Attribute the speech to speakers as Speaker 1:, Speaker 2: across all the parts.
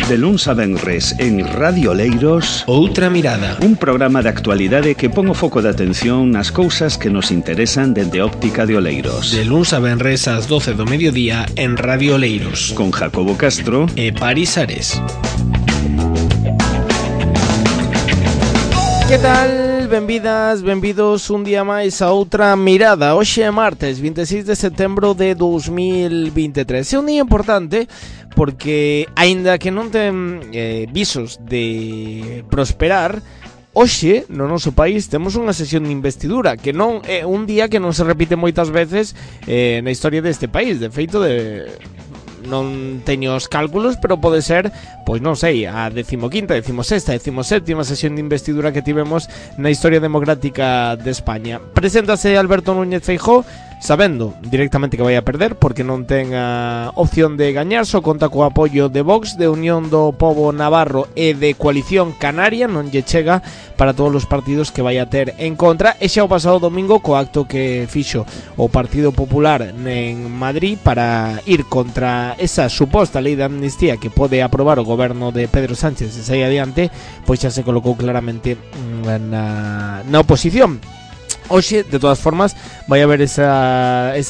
Speaker 1: De luns a venres en Radio Oleiros,
Speaker 2: Outra Mirada,
Speaker 1: un programa de actualidade que pon o foco de atención nas cousas que nos interesan dende óptica de Oleiros.
Speaker 2: de luns a venres ás 12 do mediodía en Radio Oleiros,
Speaker 1: Con Jacobo Castro
Speaker 2: e Paris Ares. Que tal? Benvidas, benvidos un día máis a Outra Mirada. Hoxe é martes 26 de setembro de 2023. É un día importante porque, aínda que non ten visos de prosperar, hoxe no noso país temos unha sesión de investidura que non é un día que non se repite moitas veces na historia deste país. De feito, non teño os cálculos, pero pode ser, pois non sei, a 15ª, 16ª, 17ª sesión de investidura que tivemos na historia democrática de España. Preséntase Alberto Núñez Feijóo, sabendo directamente que vai a perder porque non ten a opción de gañar, só conta co apoio de Vox, de Unión do Pobo Navarro e de Coalición Canaria. Non lle chega para todos os partidos que vai a ter en contra, e xa o pasado domingo co acto que fixo o Partido Popular en Madrid para ir contra esa suposta lei de amnistía que pode aprobar o goberno de Pedro Sánchez se sai adiante, pois xa se colocou claramente na oposición. Hoxe, de todas formas, vai haber ese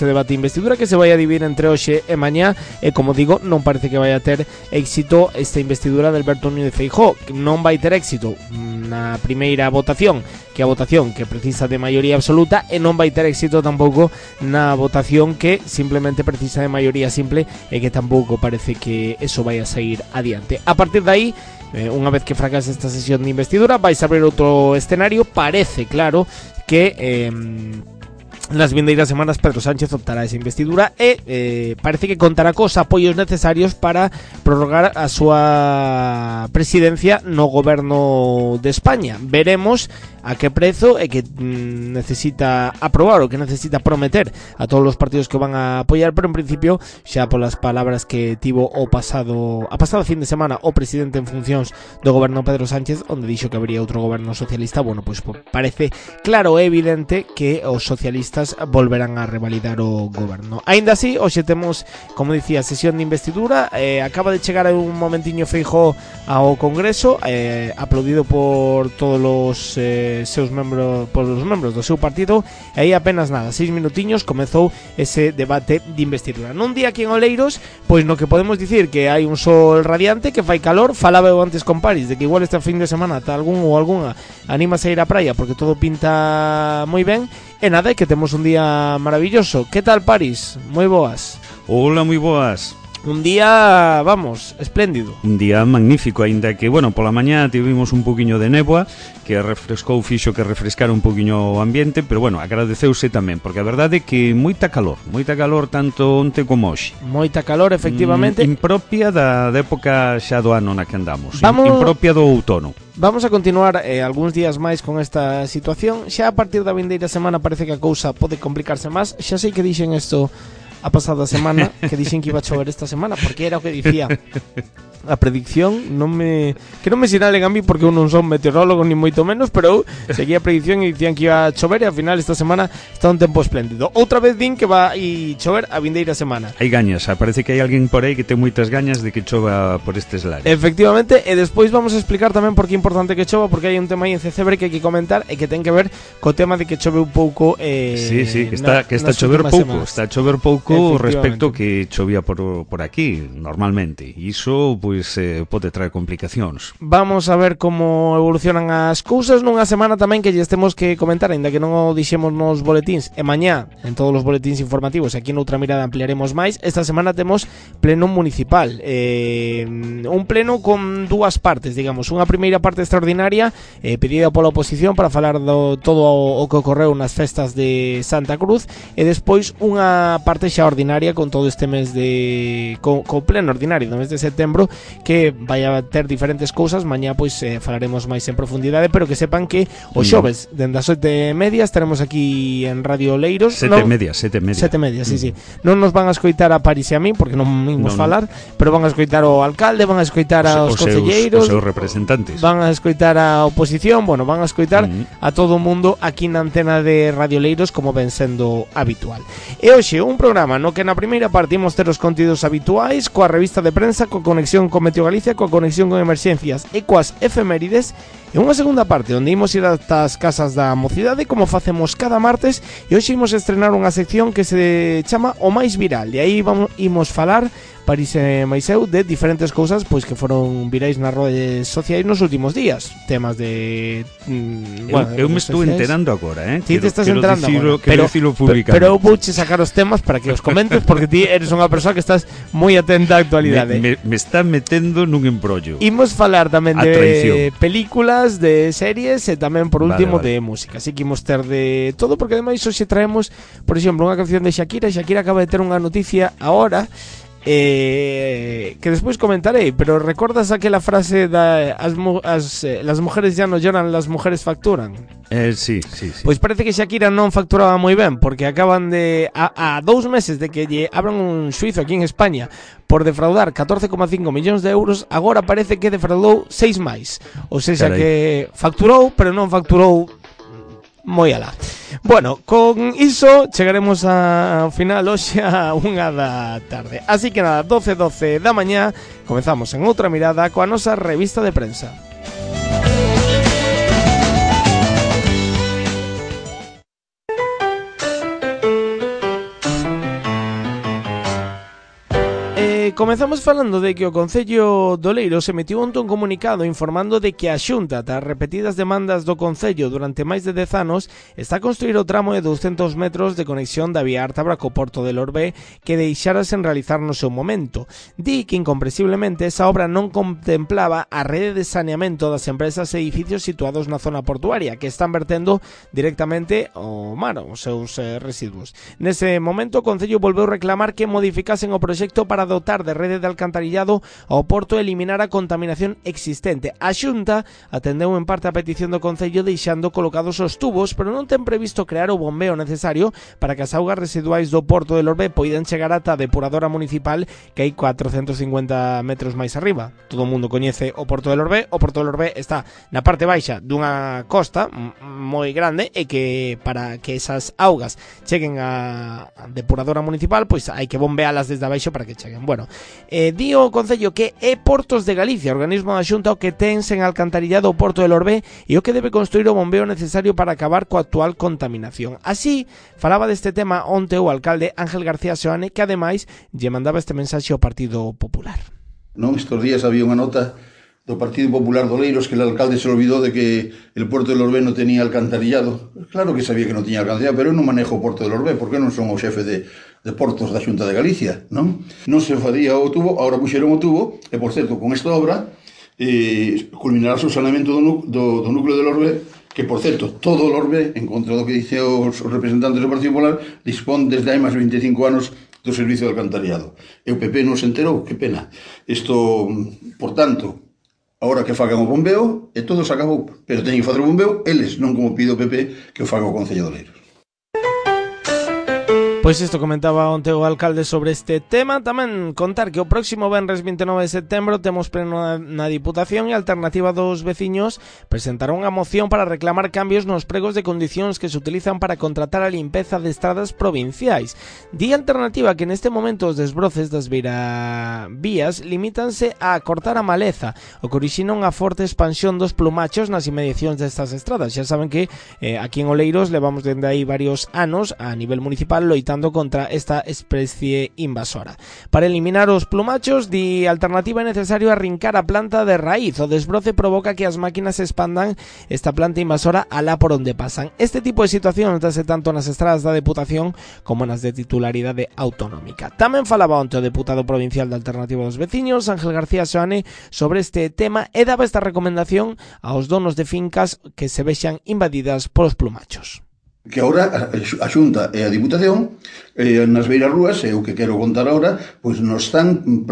Speaker 2: debate de investidura que se vai a dividir entre hoxe e mañá, e como digo, non parece que vai a ter éxito esta investidura de Alberto Núñez Feijóo. Non vai ter éxito na primeira votación, que é a votación que precisa de maioría absoluta, e non vai ter éxito tampouco na votación que simplemente precisa de maioría simple, e que tampouco parece que eso vai a sair adiante. A partir de aí, unha vez que fracase esta sesión de investidura, vais a abrir outro escenario. Parece claro que nas vindeiras semanas Pedro Sánchez optará esa investidura e parece que contará cos apoios necesarios para prorrogar a súa presidencia no goberno de España. Veremos a que prezo e que necesita aprobar o que necesita prometer a todos os partidos que van a apoiar, pero en principio, xa polas palabras que tivo a pasado fin de semana o presidente en funcións do goberno Pedro Sánchez, onde dixo que habría outro goberno socialista, bueno, pois parece claro e evidente que os socialistas volverán a revalidar o goberno. Aínda así, hoxe temos, como dicía, sesión de investidura. Acaba de chegar un momentiño Feijóo ao Congreso, aplaudido por todos os seus membros, por os membros do seu partido, e aí apenas nada, 6 minutiños comezou ese debate de investidura. Nun día aquí en Oleiros, pois no que podemos dicir que hai un sol radiante, que fai calor. Falaba eu antes con Paris de que igual este fin de semana ata algún ou algunha anímase a ir á praia porque todo pinta moi ben. E nada, que temos un día maravilloso. Que tal, Paris? Moi boas.
Speaker 1: Hola, moi boas.
Speaker 2: Un día, vamos, espléndido.
Speaker 1: Un día magnífico, aínda que, bueno, pola mañá tivemos un poquinho de néboa que fixo que refrescara un poquinho o ambiente, pero bueno, agradeceuse tamén, porque a verdade é que moita calor tanto onte como hoxe.
Speaker 2: Moita calor, efectivamente.
Speaker 1: Impropia da época xa do ano na que andamos. Impropia do outono.
Speaker 2: Vamos a continuar algúns días máis con esta situación. Xa a partir da vindeira semana parece que a cousa pode complicarse máis. Xa sei que dixen isto a pasada semana, que dixen que iba a chover esta semana, porque era o que dicía a predicción. Que non me sinalen a mí porque eu non son meteorólogo ni moito menos, pero eu seguía a predicción e dicían que iba a chover, e ao final esta semana está un tempo espléndido. Outra vez din que va a chover a vindeira semana.
Speaker 1: Hai gañas, parece que hai alguén por aí que ten moitas gañas de que chova por estes lares.
Speaker 2: Efectivamente, e despois vamos a explicar tamén por que é importante que chova, porque hai un tema aí en Cecebre que hai que comentar e que ten que ver co tema de que chove un pouco
Speaker 1: sí, que está a chover pouco, está a chover pouco respecto que chovía por aquí normalmente, e iso pois pode traer complicacións.
Speaker 2: Vamos a ver como evolucionan as cousas nunha semana tamén que lles temos que comentar, aínda que non o dixemos nos boletíns, e mañá en todos os boletíns informativos, aquí noutra mirada ampliaremos máis. Esta semana temos pleno municipal, un pleno con dúas partes, digamos, unha primeira parte extraordinaria pedida pola oposición para falar do todo o que ocorreu nas festas de Santa Cruz, e despois unha parte xa ordinaria con todo este mes de co pleno ordinario do mes de setembro, que vai a ter diferentes cousas. Mañá pois falaremos máis en profundidade, pero que sepan que o xoves dende as 7:30 estaremos aquí en Radio Oleiros.
Speaker 1: 7:30,
Speaker 2: sí. Non nos van a escoitar a Paris e a mí porque non imos falar, pero van a escoitar o alcalde, van a escoitar aos concelleiros,
Speaker 1: os seus representantes,
Speaker 2: van a escoitar a oposición, bueno, van a escoitar a todo o mundo aquí na antena de Radio Oleiros, como ven sendo habitual. E hoxe un programa no que na primeira parte imos ter os contidos habituais, coa revista de prensa, coa conexión conexión con Meteo Galicia, coa conexión con emerxencias e coas efemérides, e unha segunda parte onde imos ir ata as casas da mocidade como facemos cada martes, e hoxe imos estrenar unha sección que se chama O Máis Viral, e aí imos falar París e Maiseu de diferentes cousas pois que foron virais nas redes sociais nos últimos días, temas de
Speaker 1: eu me estou enterando agora,
Speaker 2: Ti te estás enterando agora,
Speaker 1: quero dicilo públicamente.
Speaker 2: Pero eu vouche sacar os temas para que os comentes porque ti eres unha persoa que estás moi atenta á actualidade.
Speaker 1: Me está metendo nun embrollo.
Speaker 2: Imos falar tamén de películas, de series e tamén por último de música. Así que imos ter de todo porque ademais hoxe traemos, por exemplo, unha canción de Shakira. Shakira acaba de ter unha noticia ahora que despois comentarei, pero recordas aquela frase da las mujeres ya no lloran, las mujeres facturan?
Speaker 1: Sí.
Speaker 2: Pois parece que Shakira non facturaba moi ben, porque acaban de a 2 meses de que lle abran un xuizo aquí en España por defraudar 14,5 millóns de euros, agora parece que defraudou 6 máis. Ou seja, que facturou, pero non facturou moi alá. Bueno, con iso chegaremos ao final hoxe a 1 da tarde. Así que nada, 12 da mañá comezamos en outra mirada coa nosa revista de prensa. Comezamos falando de que o Concello do Oleiros emitiu un comunicado informando de que a Xunta, tras repetidas demandas do Concello durante máis de 10 anos, está a construir o tramo de 200 metros de conexión da vía Ártabra co Porto de Lorbé que deixara sen realizar no seu momento. Di que incomprensiblemente esa obra non contemplaba a rede de saneamento das empresas e edificios situados na zona portuaria que están vertendo directamente ao mar os seus residuos. Nese momento o Concello volveu reclamar que modificasen o proxecto para dotar de rede de alcantarillado ao porto e eliminar a contaminación existente. A Xunta atendeu en parte a petición do Concello deixando colocados os tubos, pero non ten previsto crear o bombeo necesario para que as augas residuais do porto de Lorbé poidan chegar ata a depuradora municipal que hai 450 metros máis arriba. Todo o mundo coñece o porto de Lorbé. O porto de Lorbé está na parte baixa dunha costa moi grande e que para que esas augas cheguen a depuradora municipal, pois hai que bombealas desde abaixo para que cheguen. Bueno, di o Concello que é Portos de Galicia, organismo da Xunta, o que ten sen alcantarillado o porto de Lorbé e o que debe construir o bombeo necesario para acabar coa actual contaminación. Así, falaba deste tema onte o alcalde Ángel García Seoane, que ademais lle mandaba este mensaxe ao Partido Popular.
Speaker 3: Non, estos días había unha nota do Partido Popular de Oleiros que el alcalde se olvidó de que el puerto de Lorbé non tenía alcantarillado. Claro que sabía que non tiña alcantarillado, pero eu non manejo o porto de Lorbé, porque non son o xefe de portos da Xunta de Galicia, non? Non se facía o tubo, agora puxeron o tubo, e por certo, con esta obra culminará o saneamento do núcleo de Lorbé, que por certo, todo o Lorbé, en contra do que dice os representantes do Partido Popular, dispón desde hai máis de 25 anos do servicio de alcantarillado. E o PP non se enterou, que pena. Isto, por tanto, agora que fagan o bombeo, e todo se acabou. Pero teñen que facer o bombeo eles, non como pide o PP que o faga o Concello de Oleiros.
Speaker 2: Pois isto comentaba onte o alcalde sobre este tema. Tamén contar que o próximo venres 29 de setembro temos pleno na Diputación e a Alternativa dos Veciños presentará unha moción para reclamar cambios nos pregos de condicións que se utilizan para contratar a limpeza de estradas provinciais. Di a Alternativa que neste momento os desbroces das beiravías limítanse a cortar a maleza, o que orixina unha forte expansión dos plumachos nas inmediacións destas estradas. Xa saben que aquí en Oleiros levamos dende aí varios anos a nivel municipal loitando contra esta especie invasora. Para eliminar os plumachos, di Alternativa é necesario arrincar a planta de raíz. O desbroce provoca que as máquinas expandan esta planta invasora alá por onde pasan. Este tipo de situación notase tanto nas estradas da Deputación como nas de titularidade autonómica. Tamén falaba onte o deputado provincial da Alternativa dos Veciños, Ángel García Seoane, sobre este tema e daba esta recomendación aos donos de fincas que se vexan invadidas polos plumachos.
Speaker 3: Que agora a Xunta e a Diputación nas beiras rúas, é o que quero contar agora, pois nos están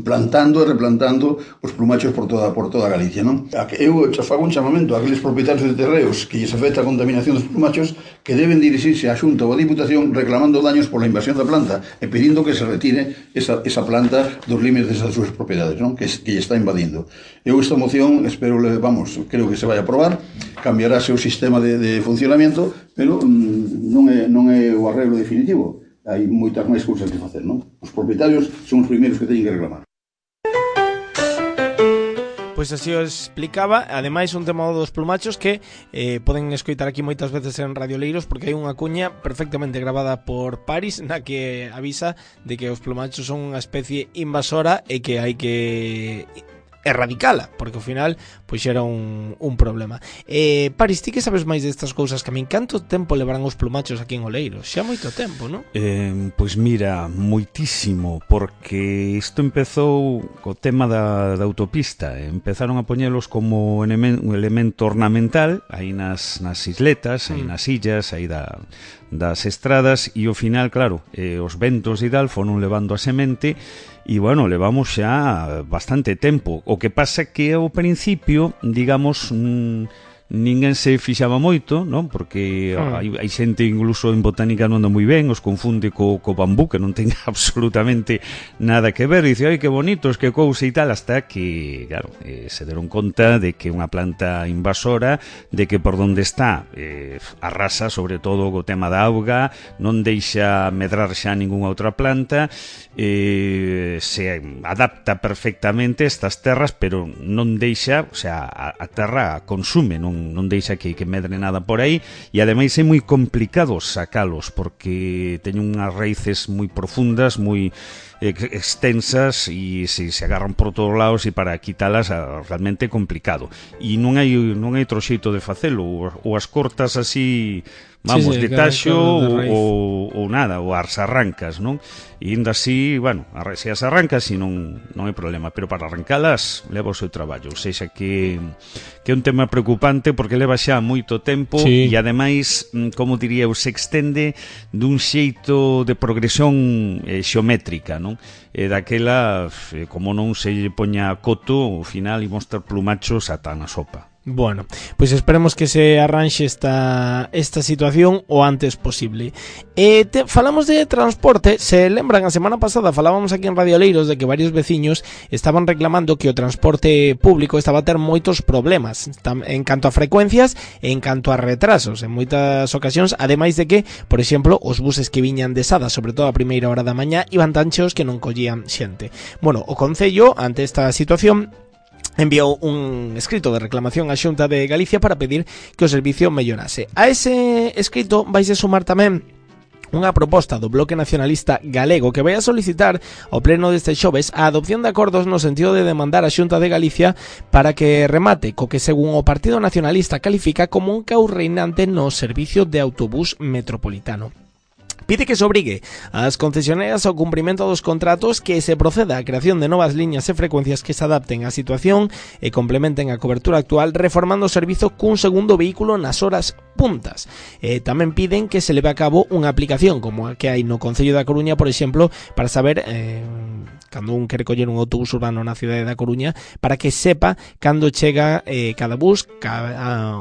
Speaker 3: plantando e replantando os plumachos por toda Galicia, non? Eu fago un chamamento a aqueles propietarios de terreos que lles afecta a contaminación dos plumachos que deben dirixirse á Xunta ou a Diputación reclamando daños pola invasión da planta e pedindo que se retire esa planta dos límites das súas propiedades, non? Que lle está invadindo. Eu esta moción espero, creo que se vai a aprobar, cambiarase o sistema de funcionamento, pero non é o arreglo definitivo. Hai moitas máis cousas que facer, non? Os propietarios son os primeiros que teñen que reclamar.
Speaker 2: Pois así o explicaba. Ademais, un tema dos plumachos que poden escoitar aquí moitas veces en Radio Leiros, porque hai unha cuña perfectamente grabada por Paris na que avisa de que os plumachos son unha especie invasora e que hai que erradicala, porque ao final pois era un problema. Paris, ti que sabes máis destas cousas que a min, canto tempo levarán os plumachos aquí en Oleiros? Xa moito tempo, non?
Speaker 1: Pois mira, moitísimo, porque isto empezou co tema da autopista. Empezaron a poñelos como un elemento ornamental aí nas isletas, aí nas illas, aí das estradas, e ao final, claro, os ventos e tal foron levando a semente. E, bueno, levamos xa bastante tempo. O que pasa que ao principio, digamos, ninguén se fixaba moito, non? Porque hai xente incluso en botánica non anda moi ben, os confunde co bambú, que non ten absolutamente nada que ver, e dice, ai, que bonitos, que cousa e tal, hasta que, claro, se deron conta de que unha planta invasora, de que por donde está arrasa, sobre todo co tema da auga, non deixa medrar xa ningunha outra planta, se adapta perfectamente a estas terras, pero non deixa, o sea, a terra consume, non deixa que medre nada por aí, e ademais é moi complicado sacalos porque teñen unhas raíces moi profundas, moi extensas, e se agarran por todos lados, e para quitalas realmente é complicado, e non hai outro xeito de facelo, ou as cortas así, vamos, de taxo, ou nada, ou as arrancas, non? E ainda así, bueno, se as arrancas si non hai problema, pero para arrancalas leva o seu traballo, ou seja que é un tema preocupante porque leva xa moito tempo, e ademais, como diría, se extende dun xeito de progresión xeométrica, non? E daquela, como non se poña coto, ao final imos ter plumachos ata na sopa.
Speaker 2: Bueno, pois esperemos que se arranxe esta situación o antes posible. Falamos de transporte. Se lembran, a semana pasada falábamos aquí en Radio Leiros de que varios veciños estaban reclamando que o transporte público estaba a ter moitos problemas en canto a frecuencias e en canto a retrasos en moitas ocasións, ademais de que, por exemplo, os buses que viñan de Sada, sobre todo a primeira hora da mañá, iban tan cheos que non collían xente. Bueno, o Concello, ante esta situación, enviou un escrito de reclamación á Xunta de Galicia para pedir que o servicio mellorase. A ese escrito vaise sumar tamén unha proposta do Bloque Nacionalista Galego que vai a solicitar ao pleno deste xoves a adopción de acordos no sentido de demandar a Xunta de Galicia para que remate co que, según o Partido Nacionalista, califica como un caos reinante no servicio de autobús metropolitano. Pide que se obrigue ás concesionarias ao cumprimento dos contratos, que se proceda á creación de novas liñas e frecuencias que se adapten á situación e complementen a cobertura actual, reformando o servizo cun segundo vehículo nas horas puntas. Tamén piden que se leve a cabo unha aplicación como a que hai no Concello da Coruña, por exemplo, para saber cando un quere coller un autobús urbano na cidade da Coruña, para que sepa cando chega cada bus,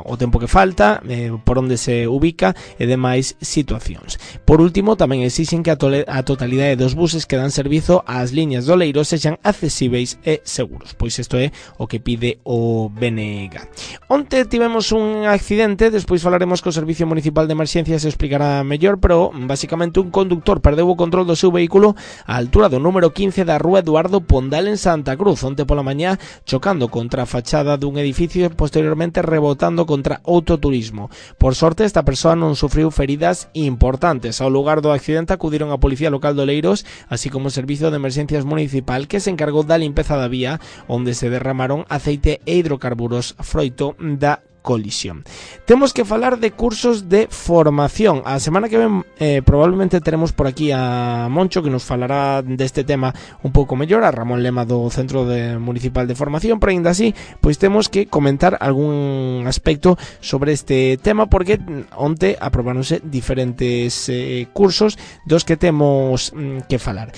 Speaker 2: o tempo que falta, por onde se ubica e demais situacións. Por último, tamén exixen que a totalidade dos buses que dan servizo ás liñas do Oleiros sexan accesíveis e seguros. Pois isto é o que pide o BNG. Onte tivemos un accidente, despois falaremos co Servicio Municipal de Emerxencias e explicará mellor, pero basicamente un conductor perdeu o control do seu vehículo á altura do número 15 da Rúa Eduardo Pondal en Santa Cruz, onte pola mañá, chocando contra a fachada dun edificio e posteriormente rebotando contra outro turismo. Por sorte, esta persoa non sufriu feridas importantes. Ao lugar do accidente acudiron a Policía Local de Oleiros, así como o Servicio de Emerxencias Municipal, que se encargou da limpeza da vía, onde se derramaron aceite e hidrocarburos froito da colisión. Temos que falar de cursos de formación. A semana que ven probablemente teremos por aquí a Moncho, que nos falará deste tema un pouco mellor, a Ramón Lema do Centro Municipal de Formación, pero ainda así, pois temos que comentar algún aspecto sobre este tema, porque onte aprobáronse diferentes cursos dos que temos que falar.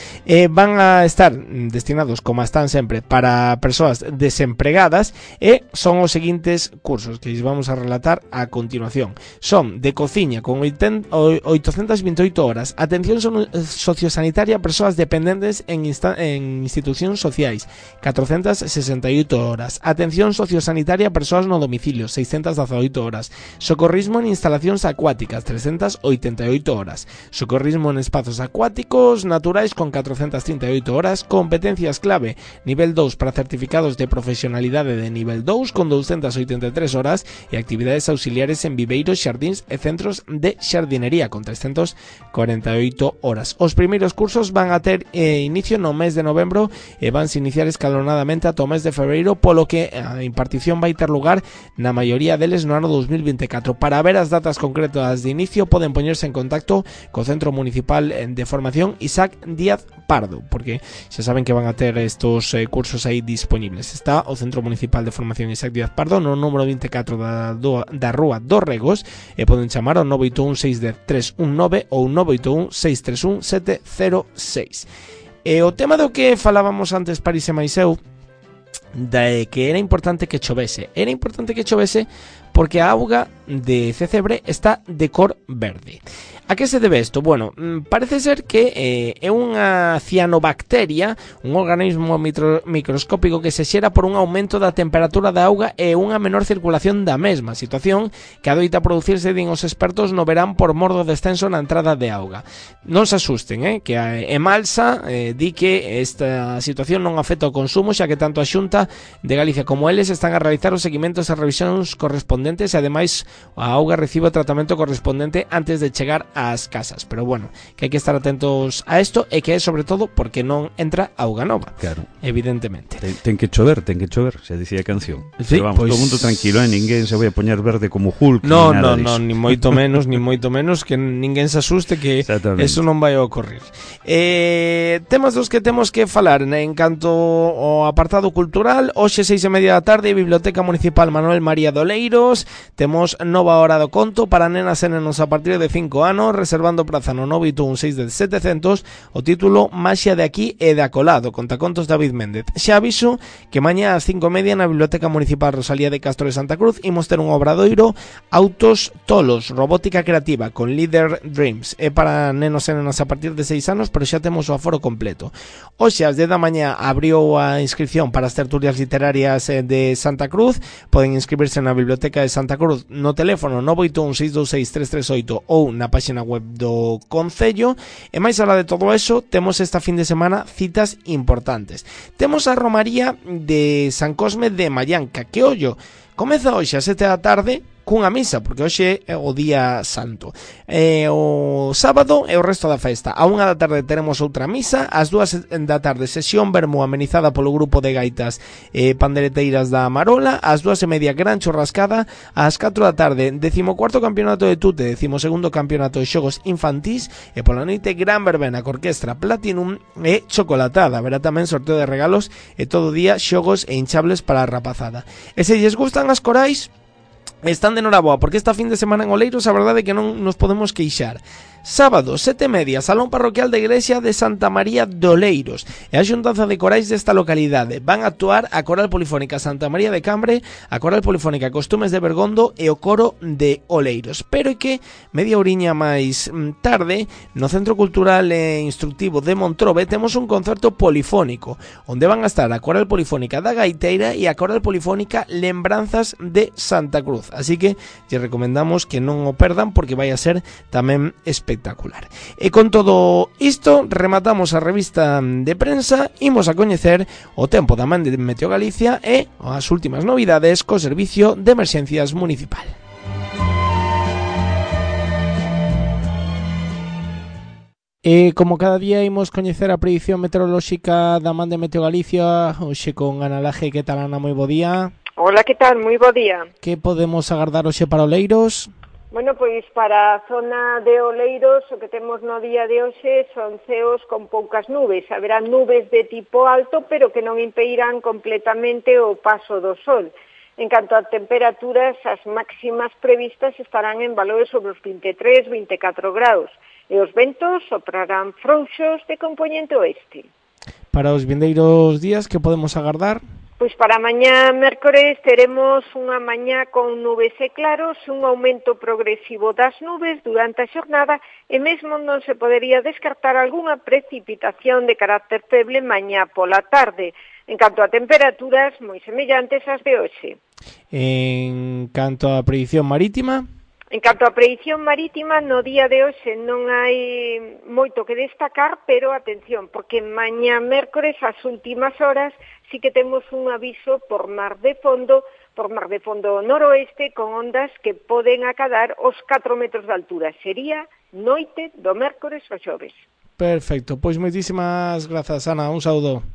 Speaker 2: Van a estar destinados, como están sempre, para persoas desempregadas, e son os seguintes cursos que lles vamos a relatar a continuación. Son de cociña con 828 horas, atención sociosanitaria a persoas dependentes en institucións sociais, 468 horas, atención sociosanitaria a persoas no domicilio, 618 horas, socorrismo en instalacións acuáticas, 388 horas, socorrismo en espazos acuáticos naturais con 438 horas, competencias clave nivel 2 para certificados de profesionalidade de nivel 2 con 283 horas e actividades auxiliares en viveiros, xardíns e centros de xardinería con 348 horas. Os primeiros cursos van a ter inicio no mes de novembro e vanse iniciar escalonadamente ata o mes de febreiro, polo que a impartición vai ter lugar na maioría deles no ano 2024. Para ver as datas concretas de inicio poden poñerse en contacto co Centro Municipal de Formación Isaac Díaz Pardo, porque xa saben que van a ter estos cursos aí disponibles. Está o Centro Municipal de Formación Isaac Díaz Pardo no número 24 da Rúa dos Regos e poden chamar ao 981 610 319 ou 981 631 706. E o tema do que falábamos antes París e máis eu, de que era importante que chovese. Era importante que chovese porque a auga de Cecebre está de cor verde. A que se debe isto? Bueno, parece ser que é unha cianobacteria, un organismo microscópico que se xera por un aumento da temperatura da auga e unha menor circulación da mesma, situación que adoita producirse, din os expertos, no verán por mor do descenso na entrada de auga. Non se asusten, que a Emalsa di que esta situación non afecta o consumo, xa que tanto a Xunta de Galicia como eles están a realizar os seguimentos e revisións correspondentes e ademais a auga recibe o tratamento correspondente antes de chegar ás casas, pero bueno, que hai que estar atentos a isto e que é sobre todo porque non entra auga nova,
Speaker 1: claro,
Speaker 2: evidentemente.
Speaker 1: Ten que chover, xa dicía a canción.
Speaker 2: Sí,
Speaker 1: pero vamos,
Speaker 2: pues...
Speaker 1: todo mundo tranquilo, ninguén se vai a poñer verde como Hulk.
Speaker 2: No, ni moito menos, que ninguén se asuste que eso non vai a ocorrer. Temas dos que temos que falar en canto ao apartado cultural. Hoxe 6:30 da tarde, Biblioteca Municipal Manuel María de Oleiros, temos nova hora do conto para nenas e nenos a partir de 5 anos, reservando praza no 981 61700, o título Maxia de aquí e de acolado, contacontos David Méndez. Xa aviso que mañá ás 5:30 na Biblioteca Municipal Rosalía de Castro de Santa Cruz imos ter un obradoiro Autos Tolos, robótica creativa con Leader Dreams. É para nenos e nenas a partir de 6 anos, pero xa temos o aforo completo. Hoxe ás 10 da mañá abriu a inscripción para as tertulias literarias de Santa Cruz. Poden inscribirse na Biblioteca de Santa Cruz no teléfono 981 626 338 ou na página web do Concello. E máis alá de todo eso, temos esta fin de semana citas importantes. Temos a Romaría de San Cosme de Mallanca, que ollo, comeza hoxe a 7 da tarde cunha misa, porque hoxe é o día santo. O sábado é o resto da festa. A 1 da tarde teremos outra misa, ás 2 da tarde sesión vermú amenizada polo grupo de gaitas pandereteiras da Marola, ás 2:30 gran churrascada, ás 4 da tarde 14º campeonato de tute, 12º campeonato de xogos infantís e pola noite gran verbena co orquestra Platinum e chocolatada. Verá tamén sorteo de regalos e todo o día xogos e hinchables para a rapazada. E se lles gustan as corais, están de noraboa, porque esta fin de semana en Oleiros a verdade é que non nos podemos queixar. Sábado, 7:30, Salón Parroquial da Iglesia de Santa María de Oleiros e a xuntanza de corais desta localidade. Van a actuar a Coral Polifónica Santa María de Cambre, a Coral Polifónica Costumes de Bergondo e o Coro de Oleiros. Pero é que media horiña máis tarde, no Centro Cultural e Instructivo de Montrobe, temos un concerto polifónico, onde van a estar a Coral Polifónica da Gaiteira e a Coral Polifónica Lembranzas de Santa Cruz. Así que lle recomendamos que non o perdan, porque vai a ser tamén espectacular. E con todo isto rematamos a revista de prensa. Imos a coñecer o tempo da man de Meteo Galicia e as últimas novidades co Servicio de Emerxencias Municipal. E como cada día imos coñecer a predición meteorolóxica da man de Meteo Galicia, hoxe con Ana Laje. Que tal, Ana? Moi bo día.
Speaker 4: Hola, que tal? Moi bo día.
Speaker 2: Que podemos agardar hoxe para Oleiros?
Speaker 4: Bueno, pois para a zona de Oleiros o que temos no día de hoxe son ceos con poucas nubes. Haberá nubes de tipo alto, pero que non impedirán completamente o paso do sol. En canto a temperaturas, as máximas previstas estarán en valores sobre os 23, 24 graus. E os ventos soprarán frouxos de compoñente oeste.
Speaker 2: Para os vindeiros días, que podemos agardar?
Speaker 4: Pois para mañá mércores teremos unha mañá con nubes e claros, un aumento progresivo das nubes durante a xornada e mesmo non se podería descartar algunha precipitación de carácter feble mañá pola tarde. En canto a temperaturas, moi semellantes ás de hoxe.
Speaker 2: En canto a predición marítima?
Speaker 4: En canto a predición marítima, no día de hoxe non hai moito que destacar, pero atención, porque mañá mércores, ás últimas horas, sí que temos un aviso por mar de fondo noroeste, con ondas que poden acadar os 4 metros de altura. Sería noite do mércores ao xoves.
Speaker 2: Perfecto, pois moitísimas grazas, Ana, un saúdo.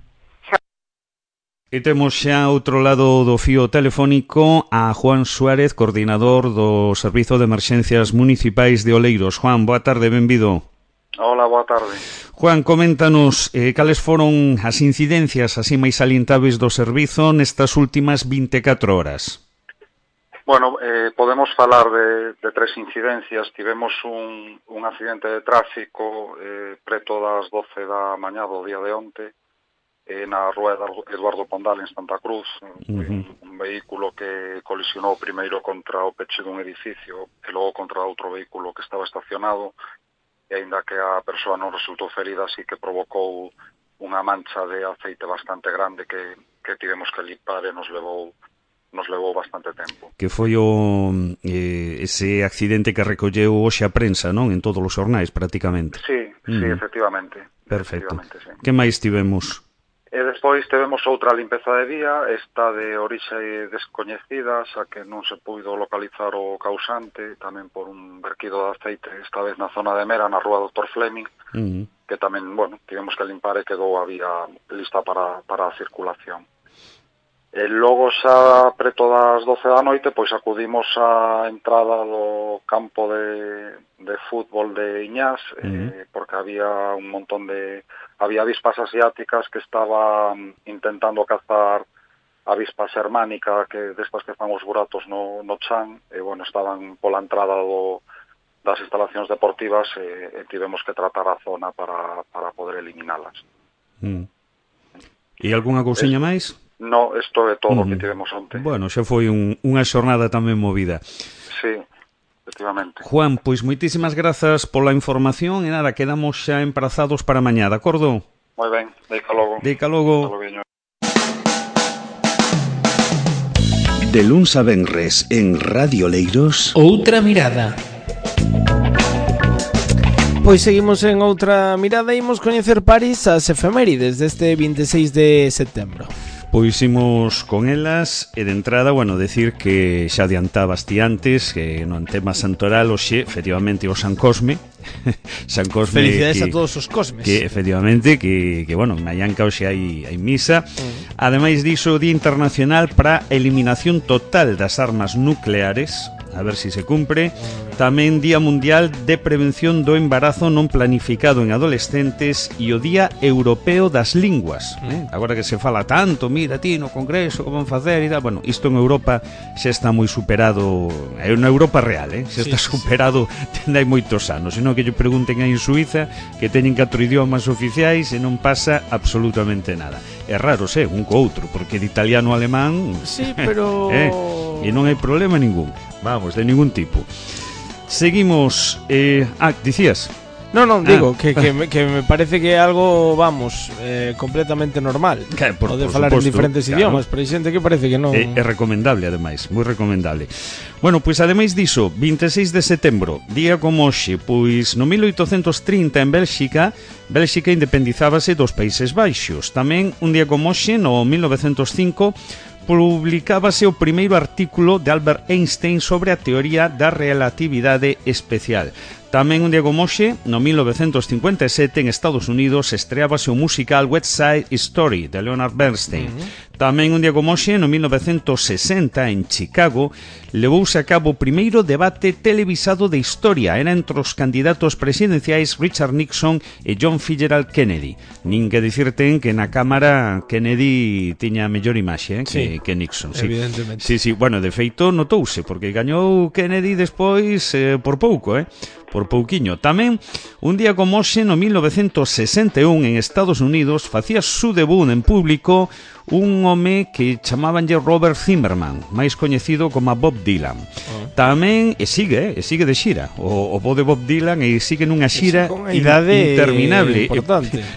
Speaker 1: E temos xa outro lado do fío telefónico a Juan Suárez, coordinador do Servizo de Emerxencias Municipais de Oleiros. Juan, boa tarde, benvido.
Speaker 5: Hola, boa tarde.
Speaker 1: Juan, coméntanos cales foron as incidencias así máis salientables do servizo nestas últimas 24 horas.
Speaker 5: Bueno, podemos falar de 3 incidencias. Tivemos un accidente de tráfico preto das 12 da mañá do día de onte, na rúa Eduardo Pondal en Santa Cruz, un vehículo que colisionou primeiro contra o peche dun edificio e logo contra outro vehículo que estaba estacionado, e aínda que a persoa non resultou ferida, sí que provocou unha mancha de aceite bastante grande que tivemos que limpar e nos levou bastante tempo.
Speaker 1: Que foi ese accidente que recolleu hoxe a prensa, non? En todos os xornais, prácticamente.
Speaker 5: Sí, efectivamente.
Speaker 1: Perfecto.
Speaker 5: Sí.
Speaker 1: Que máis tivemos?
Speaker 5: E despois tivemos outra limpeza de vía, esta de orixe descoñecida, xa que non se puido localizar o causante, tamén por un verquido de aceite, esta vez na zona de Mera, na rúa Dr. Fleming, que tamén, tivemos que limpar e quedou a vía lista para a circulación. E logo xa preto das 12 da noite, pois acudimos á entrada do campo de fútbol de Iñás, porque había un montón había avispas asiáticas que estaban intentando cazar avispas germánica, que destas que fan os buratos no chan, e estaban pola entrada das instalacións deportivas e tivemos que tratar a zona para poder eliminalas.
Speaker 1: E algunha cousiña máis?
Speaker 5: No, isto é todo o que tivemos onte.
Speaker 1: Bueno, xa foi unha xornada tamén movida.
Speaker 5: Sí, efectivamente.
Speaker 1: Juan, pois moitísimas grazas pola información e nada, quedamos xa emprazados para mañá, de acordo?
Speaker 5: Moi ben, deica logo.
Speaker 1: Deica logo.
Speaker 6: De luns a venres en Radio Oleiros.
Speaker 2: Outra mirada. Pois seguimos en outra mirada e imos coñecer París as efemérides deste 26 de setembro.
Speaker 1: Pois imos con elas e de entrada, decir que xa adiantabas ti antes que no tema santoral hoxe, efectivamente, o San Cosme. San Cosme.
Speaker 2: Felicidades a todos os Cosmes.
Speaker 1: Que efectivamente, que en Mallanca hoxe hai misa. Ademais diso, Día Internacional para a Eliminación Total das Armas Nucleares. A ver si se cumpre. Tamén Día Mundial de Prevención do Embarazo non planificado en adolescentes e o Día Europeo das Linguas. Agora que se fala tanto, mira ti no Congreso como van facer e tal, isto en Europa xa está moi superado, é unha Europa real, xa está superado dende hai moitos anos, senón que lle pregunten aí en Suiza que teñen 4 idiomas oficiais e non pasa absolutamente nada. É raro, un co outro, porque de italiano a alemán
Speaker 2: sí, pero
Speaker 1: e non hai problema ningún. Vamos, de ningún tipo. Seguimos. Dicías.
Speaker 2: No, digo que me parece que é algo, completamente normal. Pode falar en diferentes idiomas, pero hai xente que parece que non.
Speaker 1: É recomendable, ademais, moi recomendable. Bueno, pois ademais diso, 26 de setembro, día como hoxe, pois no 1830 en Bélxica independizábase dos Países Baixos. Tamén un día como hoxe, no 1905, publicábase o primeiro artículo de Albert Einstein sobre a teoría da relatividade especial. Tamén un día como hoxe, no 1957, en Estados Unidos, estreábase o musical West Side Story, de Leonard Bernstein. Tamén un día como hoxe, no 1960, en Chicago, levouse a cabo o primeiro debate televisado de historia. Era entre os candidatos presidenciais Richard Nixon e John Fitzgerald Kennedy. Nin que dicirten que na Cámara Kennedy tiña a mellor imaxe que Nixon.
Speaker 2: Evidentemente.
Speaker 1: Sí, de feito notouse, porque gañou Kennedy despois por pouco, por pouquiño. Tamén, un día como hoxe, no 1961, en Estados Unidos, facía su debut en público un home que chamabanlle Robert Zimmerman, máis coñecido como Bob Dylan. Tamén, e sigue de xira, o bo de Bob Dylan, e sigue nunha xira interminable,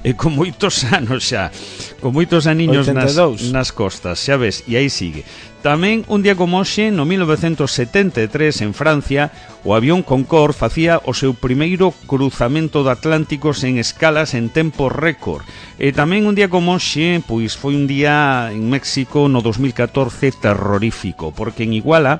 Speaker 1: e con moitos anos xa, con moitos aniños nas costas, xa ves, e aí sigue. Tamén, un día como hoxe, no 1973, en Francia, o avión Concorde facía o seu primeiro cruzamento do Atlántico sen escalas en tempo récord. E tamén, un día como hoxe, pois foi un día en México no 2014 terrorífico, porque en Iguala,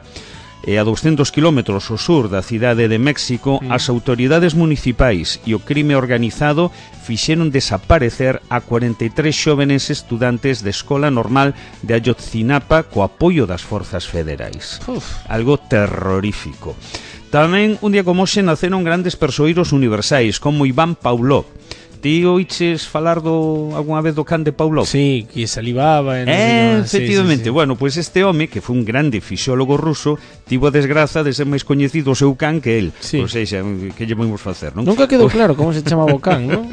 Speaker 1: a 200 kilómetros ao sur da cidade de México, as autoridades municipais e o crime organizado fixeron desaparecer a 43 xóvenes estudantes de Escola Normal de Ayotzinapa co apoio das forzas federais. Algo terrorífico. Tamén, un día como hoxe, naceron grandes persoeiros universais como Iván Pavlov. Ti oiches falar algunha vez do can de Pavlov?
Speaker 2: Sí, que salivaba
Speaker 1: efectivamente, sí. Bueno, pois este home, que foi un grande fisiólogo ruso, tivo a desgraza de ser máis coñecido o seu can que el.
Speaker 2: Sí.
Speaker 1: Ou seja, que lle vamos facer, non?
Speaker 2: Nunca quedou claro como se chamaba o can, non?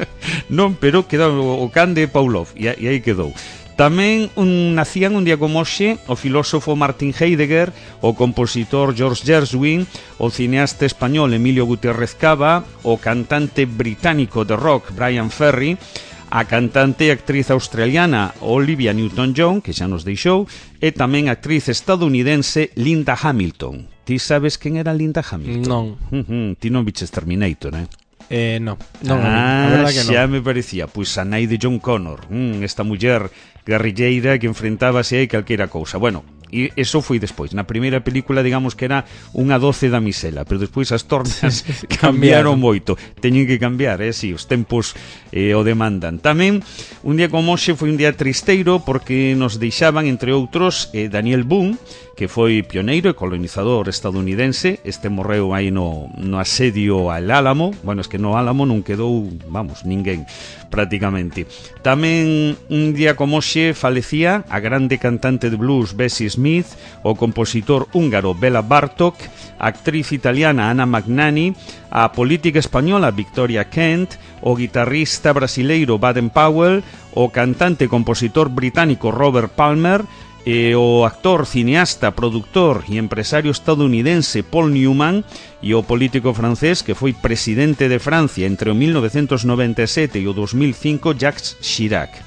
Speaker 1: Non, pero quedou o can de Pavlov, e aí quedou. Tamén nacían un día como hoxe o filósofo Martin Heidegger, o compositor George Gershwin, o cineasta español Emilio Gutiérrez Cava, o cantante británico de rock Brian Ferry, a cantante e actriz australiana Olivia Newton-John, que xa nos deixou, e tamén a actriz estadounidense Linda Hamilton. Ti sabes quen era Linda Hamilton?
Speaker 2: Non.
Speaker 1: Ti non viches Terminator,
Speaker 2: Non, a verdad que non.
Speaker 1: Xa me parecía, pois a nai de John Connor, esta muller guerrilleira que enfrentábase a calquera cousa. Bueno, e eso foi despois. Na primeira película, digamos que era unha 12 damisela, pero despois as tornas cambiaron moito. Teñen que cambiar, si, os tempos o demandan. Tamén, un día como hoxe foi un día tristeiro porque nos deixaban, entre outros, Daniel Boone, que foi pioneiro e colonizador estadounidense. Este morreu aí no asedio al Álamo. Bueno, es que no Álamo non quedou, ninguén, prácticamente. Tamén, un día como hoxe, falecía a grande cantante de blues Bessie Smith, o compositor húngaro Bela Bartók, a actriz italiana Anna Magnani, a política española Victoria Kent, o guitarrista brasileiro Baden Powell, o cantante e compositor británico Robert Palmer, e o actor, cineasta, productor e empresario estadounidense Paul Newman, e o político francés que foi presidente de Francia entre o 1997 e o 2005 Jacques Chirac.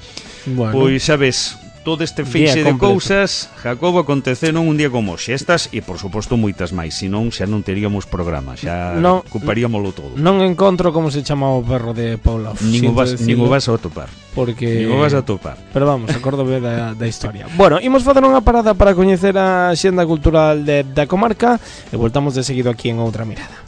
Speaker 2: Bueno.
Speaker 1: Pois sabes, todo este feixe de cousas, Jacobo, aconteceron un día como hoxe. Estas e, por suposto, moitas máis. Senón, xa non teríamos programa, xa ocuparíamoslo todo.
Speaker 2: Non encontro como se chama o perro de Pavlov.
Speaker 1: Nin o vas a topar.
Speaker 2: Porque...
Speaker 1: Nin o vas a topar.
Speaker 2: Pero vamos, acórdome da historia. Bueno, imos facer unha parada para coñecer a xenda cultural da comarca e voltamos de seguido aquí en Outra Mirada.